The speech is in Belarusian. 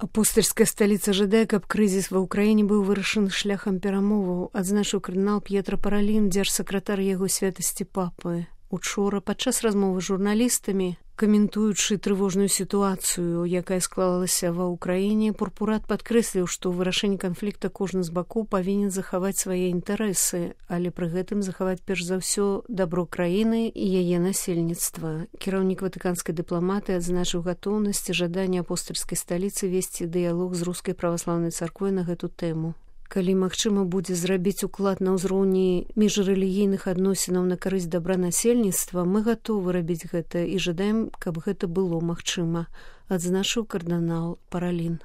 Апостальская сталіца жадае, каб крызіс ва ўкраіне быў вырашаны шляхам перамоваў, адзначыў кардынал П'етра Паралін, дзяржсакратар яго святасці папы. Учора падчас размовы з журналістамі, каментуючы трывожную сітуацыю, якая склалася ва ўкраіне, пурпурат падкрэсліў, што ў вырашэнні канфлікта кожны з бакоў павінен захаваць свае інтарэсы, але пры гэтым захаваць перш за ўсё дабро краіны і яе насельніцтва. Кіраўнік ватыканскай дыпламатыі адзначыў гатоўнасць і жаданне апостальскай сталіцы весці дыялог з рускай праваслаўнай царквой на гэту тэму. Калі магчыма будзе зрабіць уклад на ўзроўні міжрэлігійных адносінаў на карысць дабра насельніцтва, мы гатовы рабіць гэта і жадаем, каб гэта было магчыма, адзначыў кардынал Паралін.